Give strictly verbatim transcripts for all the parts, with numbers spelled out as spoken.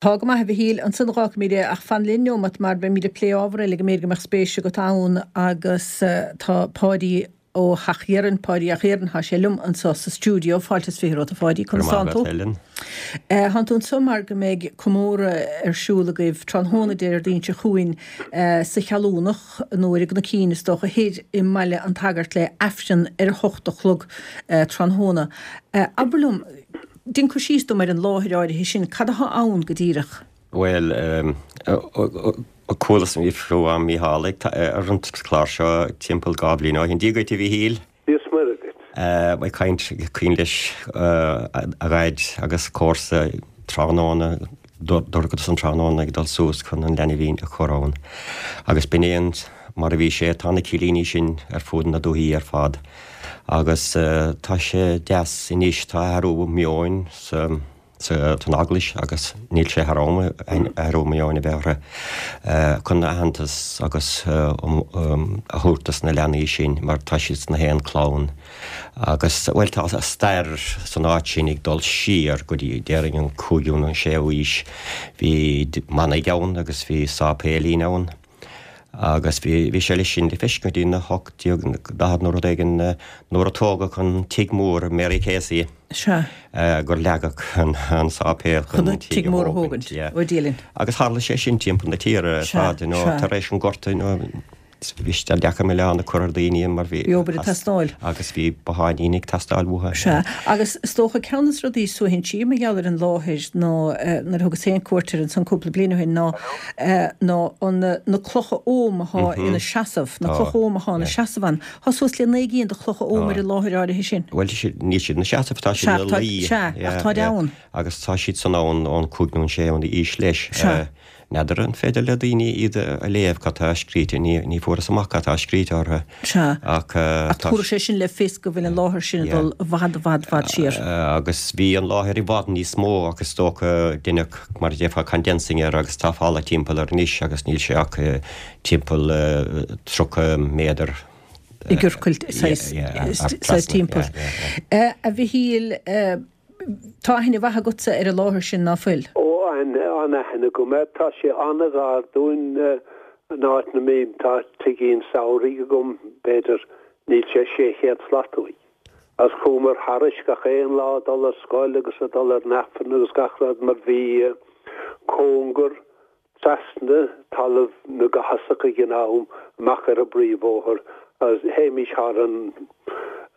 Tá go maith a Mhichíl, ansan fágfaimid é ach fan linn neomat mar beimid ag plé ábhar eile go mb'fhéidir go mbeadh spéis agat ann agus tá Páidí ó Theach Dheirn, Páidí Theach Dheirn, tá sé liom anseo sa stiúideo, fáilte is fiche romhat a Pháidí, conas tánn tú? Tánn tú anseo mar go mbeidh comóradh ar siúl agaibh tráthnóna Déardaoin seo chugainn sa Cheallúnach nó ar an gCnoicín is dócha thoir i mBaile an tSagairt le Aifreann ar a hocht a chlog tráthnóna. Abair liom, Déan cur síos dom ar an láthair áirithe sin, cad atá ann go díreach? Bhuel, chualas fiú am Mícheál ar an chlár seo timpeall dhá bhliain ó shin. Dia dhuit a Mhíchíl. Dia is Muire duit. Ag caint cuimhin leis a dhaid agus comharsa tráthnóna, dorchadas an tráthnóna ag dul suas chun an leanbhín a chur ann. Agus b'in é an mar a bhí sé, tá na cillíní sin ar fud na dúichí ar fad. Agus tá sé deas anois, tá athrú meoin sa san Eaglais agus níl sé thar am athrú meoin a bheith orthu chun aitheantas agus a thabhairt dos na leanaí sin mar tá siad sna haon clann. Agus, bhuel, tá stair san áit sin ag dul siar go dtí, déarfainn, an cúigiú nó an séú aois. Bhí manaigh ann agus bhí sáipéilín ann. Agus bhí, bhí sé leis sin le feiscint go dtí na hocht déag daichead nó rud éigin nuair a tógadh an tigh mór Mary Casey. Sea. Gur leagadh an, an sáipéal chun an tigh mór a thógaint. Yeah. Ó Dia linn. Agus tharla sé sin timpeall na tíre ar fad, you know, tar éis an Ghorta, you know, bhí sé deacair milleán a chur ar dhaoine mar bhí. Bhí obair ag teastáil. Agus bhí botháinín ag teastáil uathu. Sea. Agus is dócha ceann de na rudaí is suaithinsí mar gheall ar an láthair ná nuair a thugas féin cuairt air ansan cúpla bliain ó shin ná ná an na clocha Ogham atá ina seasamh, na clocha Ogham atá ina seasamh ann. Tá suas le naoi gcinn de chlocha Ogham ar an láthair áirithe sin. Bhuel, níl siad ina seasamh, tá siad ina luí. Sea, ach táid ann. Agus tá siad san ann ón cúig nó an séú aois leis. Sea. N'fheadar an féidir le daoine iad a léamh, cad tá scríte, ní, ní fuaireas amach cad tá scríte orthu. Sea. Ach Ach tá. tabharfaidh sé sin le fios go bhfuil an láthair sin ag dul i bhfad, i bhfad, bhfad siar. Agus bhí an láthair i bhfad níos mó ach is dócha deineadh, mar a déarfá, condensing air agus tá falla timpeall air anois agus níl sé ach timpeall tríocha méadar i gciorcal, saghas, saghas timpeall. A Mhichíl, Tá aithne mhaith agatsa ar an láthair sin, ná fuil? Ó, an-aithne agam air. Tá sé an-ghar dúinn, an áit 'na mbím. Tá tigín samhraidh agam, b'fhéidir, níl sé sé chéad slat uaidh. Agus chuamar thairis gach aon lá ag dul ar scoil agus ag dul ar an Aifreann agus gach rud mar bhí cóngar trasna talamh na gCathasach ag an am, amach ar an bpríomhbhóthar agus théimis thar an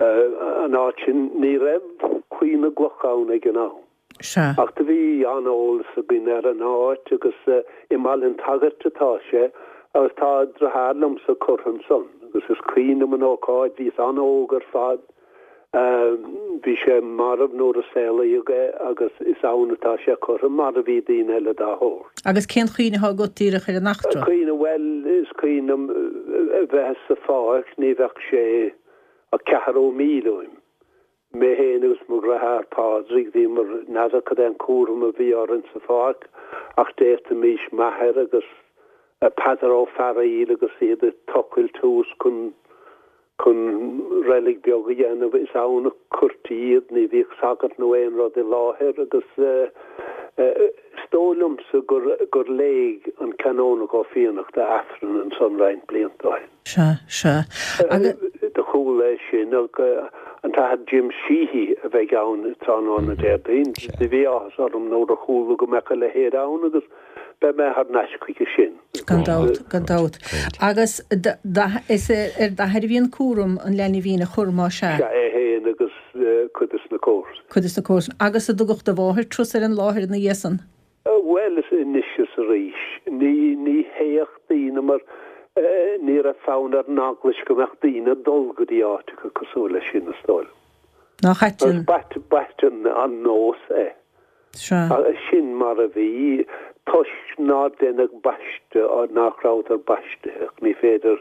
an áit sin. Ní raibh claí na gcloch ann ag an am. Sea. Ach do bhí an-eolas againn ar an áit agus i mBaile an tSagairt atá sé agus tá deartháir liomsa curtha ansan agus is cuimhin liom an ócáid, bhíos an-óg ar fad. Bhí sé marbh nuair a saolaíodh é agus is ann atá sé curtha, mar a bhí daoine eile dá shórt. Agus cén chuimhne atá agat díreach ar an eachtra? Cuimhne, bhuel, is cuimhin liom a bheith sa pháirc, ní bheadh sé ach ceathrú míle uaim. Mé féin agus mo dheartháir Pádraig, bhíomar, n'fheadar cad é an cúram a bhí orainn sa pháirc ach d'fhéadfaimis m'athair agus Peadar Ó Fearaíl agus iad ag tochailt thuas chun chun reilig beag a dhéanamh. Is ann a cuirtí iad, ní bhíodh sagart nó aon rud i láthair agus is dóigh liomsa gur gur léigh an Canónach Ó Fiannachta Aifreann ansan roinnt blianta ó shin. Sea, sea. Agus. Do chuala é sin ach an tAthair Jim Sheehy a bheidh ann tráthnóna Déardaoin. Do bhí áthas orm nuair a chuala go mbeadh a leithéid ann agus Beidh mé thar n-ais chuige sin. Gan dabht, gan dabht. Agus is ar d'athair a bhí an cúram an leanbhín a chur, más ea? Sea, é féin agus cuid de na comharsana. Cuid de na comharsana. Agus an dtugadh do mháthair turas ar an láthair ina dhiaidh san? Bhuel, is anois is arís. Ní, ní théadh daoine mar ní raibh fonn ar an Eaglais go mbeadh daoine ag dul go dtí áiteacha cosúil leis sin, is dóigh liom. Nach ait an. Agus b'ait an nós é. Sea. Sin mar a bhí, toisc nár deineadh baisteadh, nach rabhadar baistithe, ach ní féidir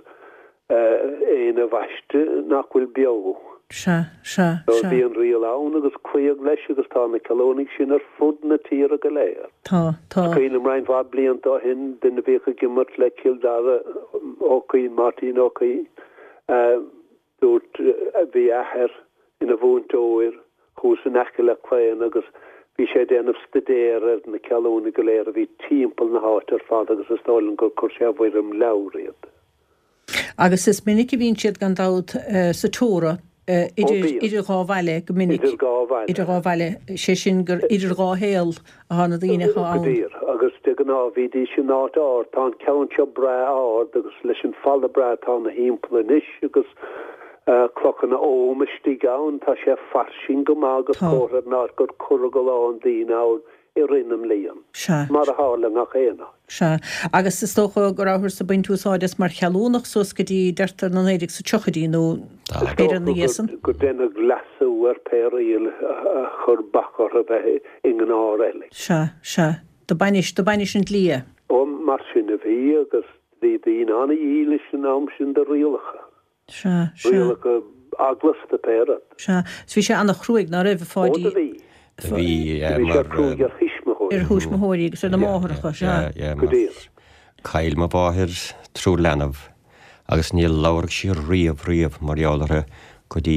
éinne a bhaisteadh nach bhfuil beo. Sea, sea, So sea. bhí an riail ann agus cloíodh leis agus tá na Ceallúnaigh sin ar fud na tíre go léir. Tá, tá. Is cuimhin liom roinnt mhaith blianta ó shin, duine a bhíodh ag imirt le Cill Dara, Ó Cuinn, Máirtín Ó Cuinn, Dúirt, bhí a athair ina mhúinteoir thuas in aice le Claon agus Bhí sé ag déanamh staidéir ar na ceallúnaigh go léir a bhí timpeall na háite ar fad agus is dóigh liom gur chuir sé i bhfoirm leabhair iad. Agus is minic a bhíonn siad gan dabht sa tórramh idir idir dhá bhaile go minic. Idir dhá bhaile. Idir dhá bhaile, sé sin gur idir dhá shaol atá na daoine atá ann. Go díreach. Agus de ghnáth bhídís in áit ard. Tá an ceann seo breá ard agus leis an falla breá atá ina thimpeall anois agus clochanna oghaim istigh ann, tá sé fairsing go maith agus comhartha ar an áit gur cuireadh a lán daoine ann i rith na mblian. Sea. Mar a tharla i ngach aon áit. Sea. Agus is dócha go rabhthar ag baint úsáid as mar cheallúnach suas go dtí, deirtear, na naoi déag sa tríochaidí nó b'fhéidir ina dhiaidh san. Is dócha gur deineadh leasú ar pé riail a chuir bac orthu bheith i ngnáthreilig. Sea, sea. Do bainis, do bainis an dlí é. Ó, mar sin a bhí agus bhí daoine an-dhílis an am sin do rialacha. Sea, sea. Rialacha eaglasta pé rud. Sea. 'S bhí sé an-chruaidh, ná raibh, a Pháidí? Ó, do bhí. Do bhí, Do bhí sé cruaidh ar thuismitheoirí. Ar thuismitheoirí agus ar na máithreacha, sea. Yeah, yeah, Go mar díreach. chaill mo mháthair triúr leanbh agus níor labhair sí riamh, riamh mar gheall orthu go dtí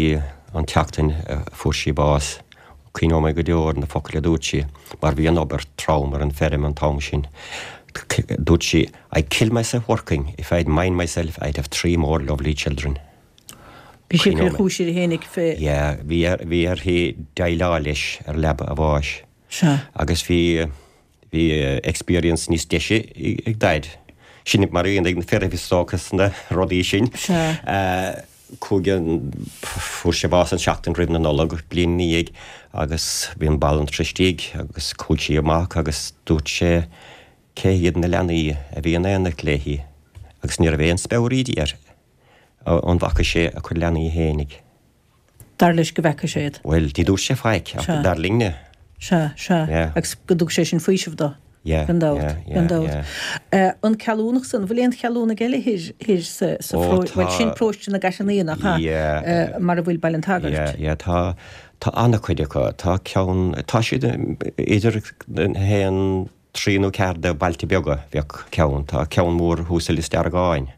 an tseachtain a fuair sí bás. Cuimhneoidh mé go deo ar na focail a dúirt sí, mar bhí an obair trom ar an feirm an t-am sin. Dúirt sí, I'd kill myself working if I'd mind myself I'd have three more lovely children. Bhí sí ag cur chúis uirthi fhéinig fé. Yeah, bhí bhí uirthi déileáil leis ar leaba a bháis. Sea. Agus bhí bhí experience níos deise ag Daid. Sin mar a bhíonn ag na fir is dócha sna rudaí sin. Sea. Chuaigh an, fuair sé bás an seachtain roimh na Nollag, bliain ina dhiaidh, agus bhí an banaltra istigh agus chuaigh sí amach agus dúirt sé cé hiad na leanaí a bhí in éineacht léi agus ní raibh aon speabhraídí air. An bhfaca sé a chuid leanaí fhéinig? Dar leis go bhfeaca sé iad. Bhuel, ní dúirt sé faic, ach dar linne. Sea, sea. Agus go dtug sé sin faoiseamh dó. Yeah, Gan dabht, yeah, yeah, gan dabht. yeah. An Ceallúnach san, an bhfuil aon cheallúnaigh eile thoir, thoir sa, sa Ó, pharóiste, tá. bhuel sin paróiste na gCaiseal nach ea? Yeah. Mar a bhfuil Baile an tSagairt. Yeah, yeah, tá, tá an-chuid acu. Tá ceann, tá siad idir a haon, trí nó ceathair de bhailte beaga, bheadh ceann. Tá ceann mór thuas i Lios Deargáin.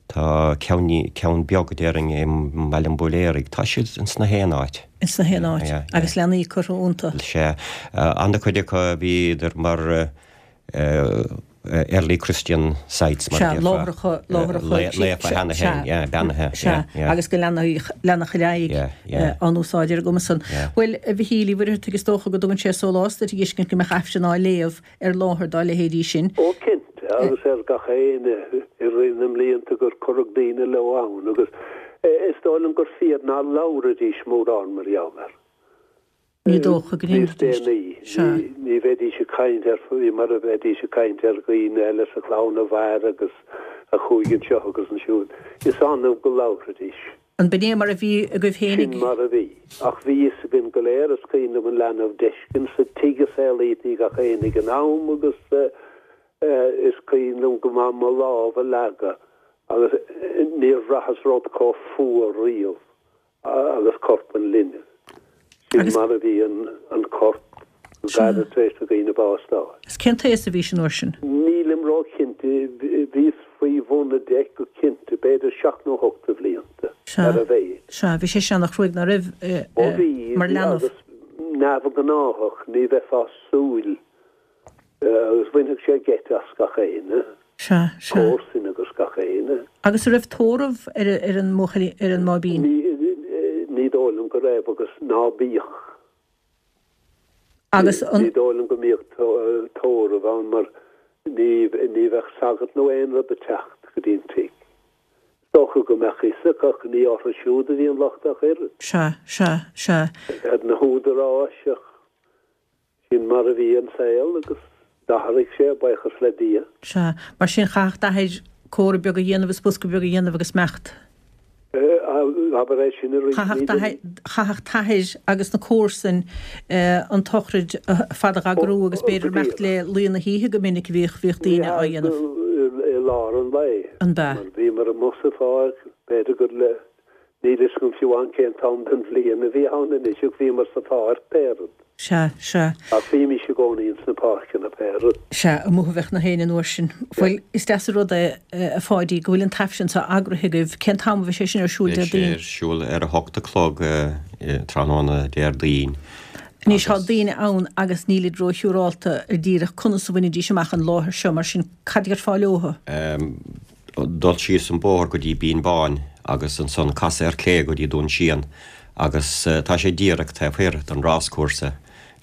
Tá ceann, ceann beag déarfainn i mBaile an Bhuiléaraigh. Tá siad ins na haon áit. Ins na haon áit. Yeah, yeah. Agus leanaí curtha iontu. Sea. An-chuid acu a bhíodar mar early Christian sites mar a Sea, déarfá. láithreacha, láithreacha. Naofa cheana féin, yeah, beannaithe, Sea, yeah, yeah. agus go leanfaidh, leanfadh ar aghaidh Yeah, yeah. á n-úsáid ar an gcuma san. Yeah. Bhuel, a Mhichíl Uí Mhuircheartaigh, is dócha go dtugann sé sólás duit a fheiscint go mbeadh Aifreann á léamh ar láthair dá leithéidí sin. Ó cinnte, agus ar gach éinne i rith na mblianta gur cuireadh daoine leo ann agus is dóigh liom gur fíor ná labhraidís mórán mar gheall air. Ní dócha go Níos ndéanfaidís. déanaí, Sea. ní bheidís ag caint air faoi mar a bheidís ag caint ar dhaoine eile sa chlann a mhair agus a chuaigh anseo agus ansiúd. Is annamh go labhraidís. An b'in é mar a bhí agaibh Sin fhéinig? mar a bhí. Ach bhí fhios againn go léir, is cuimhin liom an leanbh d'fheiscint sa tigh a saolaítí gach éinne ag an am agus is cuimhin liom go maith mo lámh a leagadh agus níor bhraitheas rud chomh fuar riamh agus corp an linbh. Sin mar a bhí an corp go gairid tar éis do dhaoine bás d'fháil. Is cén t-aos a bhí an uair sin? Nílim róchinnte, bhíos faoi bhun a deich go cinnte, b'fhéidir seacht nó hocht de bhlianta Sea, ar a mhéad. sea, bhí sé sin an-chruaidh ná raibh Ó bhí, mar bhí leanbh. agus neamhghnáthach, ní bheifeá ag súil agus bhainfeadh sé geit as gach éinne. Sea, sea. Comharsain agus gach éinne. Agus an raibh tórramh ar ar an mbuachaill, ar an mbáibín? Ní, ní dóigh liom go raibh agus ná bíodh. Agus an. Ní dóigh liom go mbíodh tórramh ann mar ní, ní bheadh sagart nó aon rud ag teacht go dtí an tigh. Is dócha go mbeadh fhios acu ach ní orthu siúd a bhí an locht ach oiread. Sea, sea, sea. Ar na húdaráis ach sin mar a bhí an saol agus d'athraigh sé, buíochas le Dia. Sea, mar sin chaithfeadh d'athair cófra beag a dhéanamh is bosca beag a dhéanamh agus imeacht. Abair é sin arís, Chaithfeadh ní d'athair, chaithfeadh t'athair agus na comharsain an tsochraid fada a eagrú agus b'fhéidir imeacht le luí na hoíche go minic a bhíodh, bhíodh daoine á dhéanamh. I lár an lae. An b'ea? Mar bhíomar amuigh sa pháirc, b'fhéidir gur le, níl fhios agam fiú amháin cén t-am den bhliain a bhí ann anois ach bhíomar sa pháirc pé rud. Sea, sea. Ach bhímís i gcónaí ins na páirceanna pé rud. Sea, amuigh a bheadh na héinne an uair sin. Bhuel, is deas an rud é, a Pháidí, go bhfuil an tAifreann seo eagraithe agaibh. Cén t-am a bheidh sé sin ar siúl Beidh sé Déardaoin? ar siúl ar a hocht a chlog tráthnóna Déardaoin. Anois tá daoine ann agus nílid róshiúrálta ar díreach conas a bhainfidís amach an láthair seo, mar sin cad a déarfá leothu? Dul síos an bóthar go dtí Binn Báin agus ansan casadh ar clé go dtí Dún Síon agus tá sé díreach taobh thoir den ráscúrsa.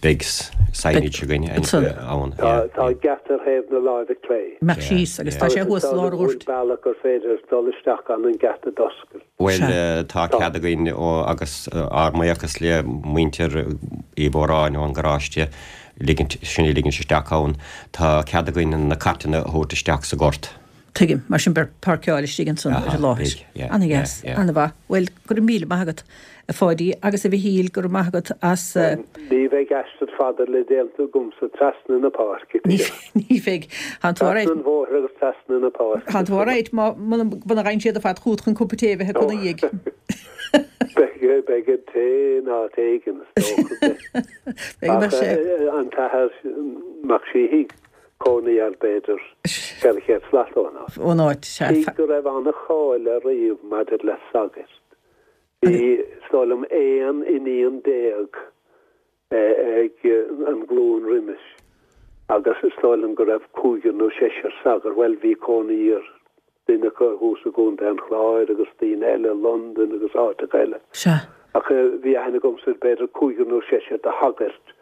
Beidh signage againn ann. Tá geata ar thaobh na láimhe clé. Imeacht síos agus tá sé thuas i lár an ghoirt. Agus bealach gur féidir dul isteach gan an geata d'oscailt. Bhuel, tá cead againn agus ár mbuíochas le muintir Uí Mhóráin ón gparóiste ligint, sinn a ligint isteach ann. Tá cead againn na cairteanna a thabhairt isteach sa ghort. Tuigim, mar sin beidh páirceáil istigh ansan ar an láthair. Ana-dheas, ana-mhaith. Bhuel, go raibh míle maith agat, a Pháidí, agus a Mhichíl, go raibh maith agat as. Ní bheidh aistear fada le déanamh agamsa trasna na páirce. Ní bheidh. Tá tú alright. Trasna an bhóthair agus trasna na páirce. Tá tú alright muna bhfaigheann siad ar fad chugat chun cupa tae a bheith acu ina dhiaidh. Beidh, beidh an tae in áit éigin, is dócha. Beidh, beidh sé. Ach an tAthair Mac Síthigh. Cónaí air b'fhéidir ceithre chéad slat ón áit. Ón áit, sea. Tigh go raibh an-cháil air riamh maidir le sagairt. Bhí, is dóigh liom, aon iníon déag ag an nglúin roimis agus is dóigh liom go raibh cúigear nó seisear sagart, bhuel, bhí cónaí ar duine acu thuas i gContae an Chláir agus daoine eile i Londain agus áiteacha eile. Sea. Ach bhí aithne agamsa ar b'fhéidir cúigear nó seisear de shagairt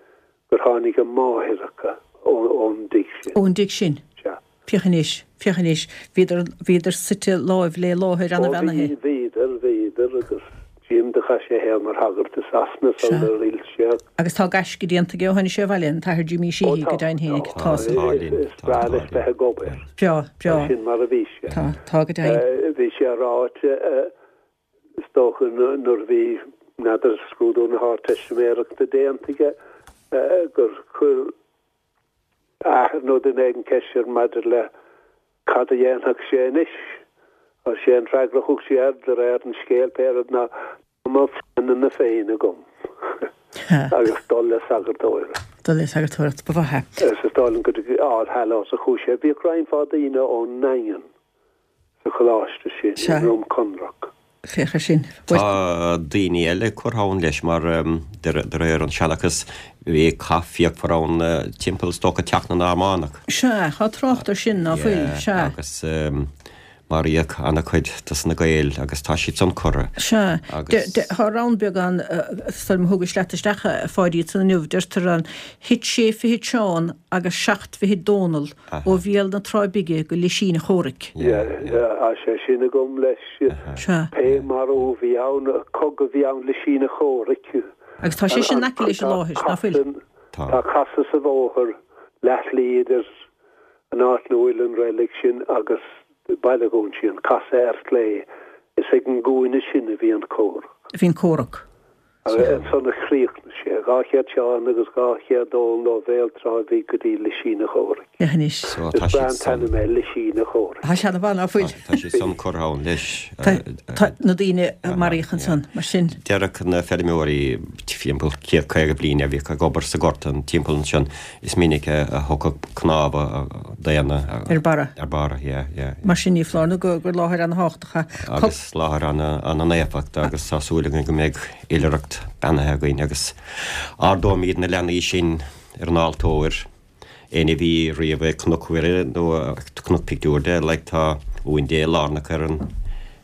gur tháinig a máithreacha ón dtigh sin. Ón dtigh sin? Sea. Féach anois, féach anois, bhíodar, bhíodar suite láimh le láthair ana-bheannaithe. Ó bhí, bhíodar, bhíodar agus Jim do chaith sé a shaol mar shagart i Sasana sular fhill sé. Agus tá gaisce déanta aige ó tháinig sé abhaile, an tAthair Jimí Sheehy, go deimhin fhéinig, tá san. Tá linn, Is breá leis bheith ag obair. Breá, breá. Sin mar a bhí sé. Tá, tá go deimhin. Bhí sé ráite, is dócha nuair a bhí, n'fheadar, scrúdú na hArdteistiméireachta déanta aige, gur chuir athair nó duine éigin ceist air maidir le cad a dhéanfadh sé anois. Agus sé an freagra a thug sé air, de réir an scéil, pé rud, ná tá mo phleananna féin agam agus dul le sagartóireacht. Dul le sagartóireacht, ba mhaith é. Is is dóigh liom go dtí All Hallows a chuaigh sé. Bhíodh roinnt mhaith daoine ón nDaingean sa choláiste sin, i nDroim Conrach. Féach air sin. Tá daoine eile curtha ann leis mar de réir an seanchas bhí cath fíochmhar ann timpeall is dócha Teach na Normannach. Sea, tá trácht air sin, ná fuil? Sea. Agus maraíodh an-chuid dos na Gaeil agus tá siad san curtha. Sea. Tá rann beag ann, sula thugais leat isteach a Pháidí ansan inniu, deirtear ann, Thit sé fichid Seán agus seacht bhfichid Dónall ó bhéal na Trá Bige go Lisín a' Chomhraic. Tá sé sin agam leis. Pé marú a bhí ann, cogadh a bhí ann Lisín a' Chomhraic. Agus tá sé sin in aice leis an láthair, ná fuil? Tá casadh sa bhóthar leathshlí idir an áit 'na bhfuil an reilig sin agus Baile Dhún Síon, casadh ar chlé. Is ag an gcúinne sin a bhí an comhrac. A bhí an comhrac. Ansan a chríochnaigh sé, dhá chéad Seán agus dhá chéad Dónall ó Bhéal Trá Bhig go dtí Lisín a' Chomhraic. Féach anois. Is breá an t-ainm é, Lisín a' Chomhraic. Tá sé ana-mhaith, ná fuil? Tá siad san curtha ann leis. Tá na daoine a maraíodh ansan, mar sin. Deireadh na feirmeoirí timpeall céad caoga bliain a bhíodh ag obair sa ghort timpeall ansin, is minic a thiocfadh cnámha daonna ar barra. Ar barra, yeah, yeah. Mar sin ní foláir nó gur láthair ana-thábhachtach é. Agus láthair ana-naofa agus tá súil againn go mbeidh oilithreacht beannaithe againn agus ardóimid na leanaí sin ar an altóir. Éinne a bhí riamh ag Cnoc Mhuire nó Cnoc Pictiúr de, like tá uain Dé lárnach ar an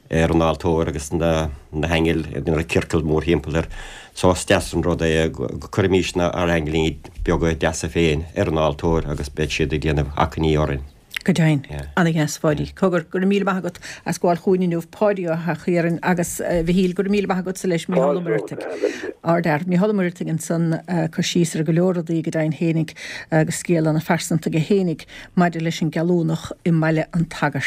ar an altóir agus na na haingil ag déanamh ciorcal mórthimpeall air. So is deas an rud é go gcuirfimís ár n-aingilíní beaga deasa féin ar an altóir agus beidh siad ag déanamh achainí orainn. Go deimhin. Ana-dheas, a Pháidí. Cogar, go raibh míle maith agat as gabháil chugainn inniu, Páidí Ó hEachthiaráin agus a Mhichíl, go raibh míle maith agatsa leis, Mícheál Ó Muircheartaigh. Ardfhear. Mícheál Ó Muircheartaigh ansan ag cur síos ar go leor rudaí go deimhin fhéinig agus scéal ana-phearsanta aige fhéinig maidir leis an gCeallúnach i mBaile an tSagairt.